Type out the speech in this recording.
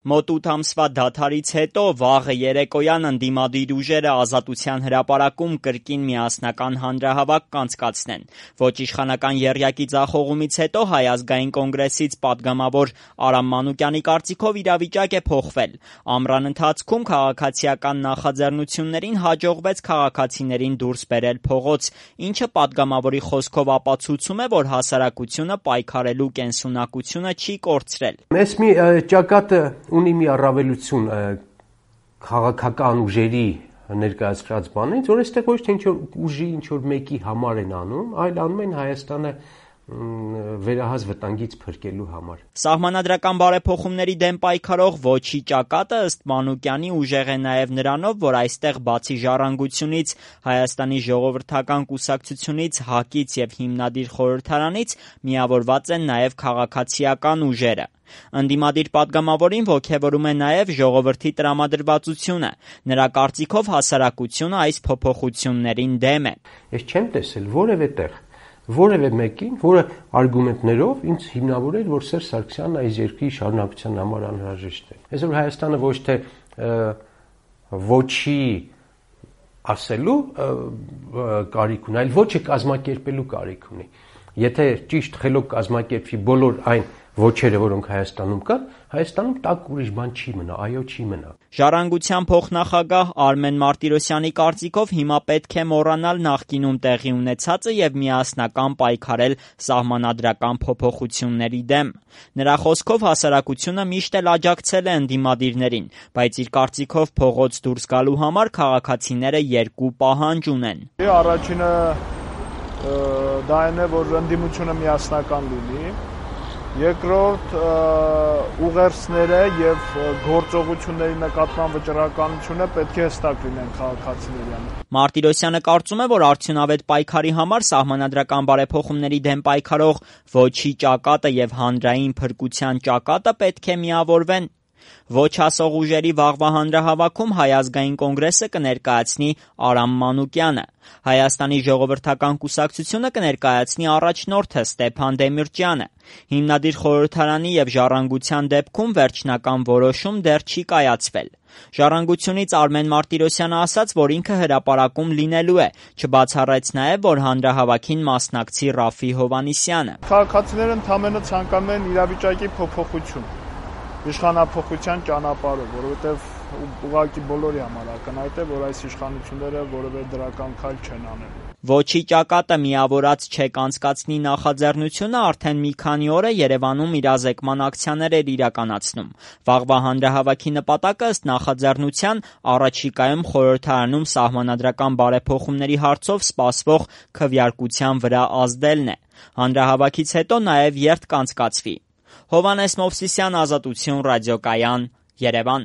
Մոտ 8 ամսվա դադարից հետո վաղը երեկոյան ընդդիմադիր ուժերը Ազատության հրապարակում կրկին միասնական հանրահավաք կանցկացնեն։ Ոչ իշխանական եռյակի ձախողումից հետո Հայ ազգային կոնգրեսից պատգամավոր Արամ Մանուկյանի կարծիքով իրավիճակ է փոխվել։ Ամռան ընթացքում քաղաքացիական նախաձեռնություններին հաջողվեց քաղաքացիներին դուրս բերել փողոց, ինչը պատգամավորի խոսքով ապացուցում է, որ հասարակությունը պայքարելու կենսունակությունը չի կորցրել։ Մեզ մի ճակատը ունի մի առավելություն քաղաքական ուժերի ներկայացրած բանից, որ այստեղ ոչ թե ինչ-որ ուժի ինչ-որ մեկի համար են անում, այլ անում են Հայաստանը վերահաս վտանգից փրկելու համար։ Սահմանադրական բարեփոխումների դեմ պայքարող Ոչի ճակատը ըստ Մանուկյանի ուժեղ է նաև նրանով, որ այստեղ բացի ժառանգությունից, Հայաստանի ժողովրդական կուսակցությունից, ՀԱԿ-ից եւ հիմնադիր խորհրդարանից միավորված են նաև քաղաքացիական ուժերը։ Ընդդիմադիր պատգամավորին ոգևորում է նաև ժողովրդի տրամադրվածությունը։ Նրա կարծիքով հասարակությունը այս փոփոխություններին դեմ է։ Ես չեմ տեսել որևէ տեղ որևէ մեկին, որը արգումենտներով ինձ հիմնավորել, որ Սերժ Սարգսյանն այս երկրի շարունակության համար անհրաժեշտ է։ Այսօր Հայաստանը ոչ թե ոչի ասելու կարիք ունի, այլ ոչը կազմակերպելու կարիք ունի։ Եթե ճիշտ խելոք կազմակերպվի բոլոր այն ոչերը, որոնք Հայաստանում կան, Հայաստանում տակ ուրիշ բան չի մնա, այո, չի մնա։ Ժառանգության փոխնախագահ Արմեն Մարտիրոսյանի կարծիքով հիմա պետք է մոռանալ նախկինում տեղի ունեցածը եւ միասնական պայքարել սահմանադրական փոփոխությունների դեմ։ Նրա խոսքով հասարակությունը միշտ էլ աջակցել է ընդդիմադիրներին, բայց իր կարծիքով փողոց դուրս գալու համար քաղաքացիները երկու պահանջ ունեն։ Առաջինը դա այն է, որ ընդդիմությունը միասնական լինի։ Երկրորդ ուղերձները եւ գործողությունների նկատմամբ վճռականությունը պետք է հստակ լինեն քաղաքացիների։ Մարտիրոսյանը կարծում է, որ արդյունավետ պայքարի համար սահմանադրական բարեփոխումների դեմ պայքարող Ոչի ճակատը եւ հանրային փրկության ճակատը պետք է միավորվեն։ Ոչ ասող ուժերի վաղվա հանրահավաքում Հայ ազգային կոնգրեսը կներկայացնի Արամ Մանուկյանը, Հայաստանի ժողովրդական կուսակցությունը կներկայացնի առաջնորդը Ստեփան Դեմիրճյանը։ Հիմնադիր խորհրդարանի եւ ժառանգության դեպքում վերջնական որոշում դեռ չի կայացվել։ Ժառանգությունից Արմեն Մարտիրոսյանը ասաց, որ ինքը հրապարակում լինելու է, չբացառեց նաև, որ հանրահավաքին մասնակցի Ռաֆի Հովհաննիսյանը։ Քաղաքացիները ընդամենը ցանկանում են իրավիճակի փոփոխություն, իշխանափոխության ճանապարհով, որովհետև ուղղակի բոլորի համար ակնհայտ է, որ այս իշխանությունները որևէ դրական քայլ չեն անել։ Ոչի ճակատը միավորած չեք անցկացնի նախաձեռնությունը արդեն մի քանի օր է Երևանում իրազեկման ակցիաներ էր իրականացնում։ Վաղվա հանրահավաքի նպատակը ըստ նախաձեռնության առաջիկայում խորհրդարանում սահմանադրական բարեփոխումների հարցով սպասվող քվեարկության վրա ազդելն է։ Հանրահավաքից հետո նաև երթ կանցկացվի։ Հովհաննես Մովսիսյան, Ազատություն ռադիոկայան, Երևան։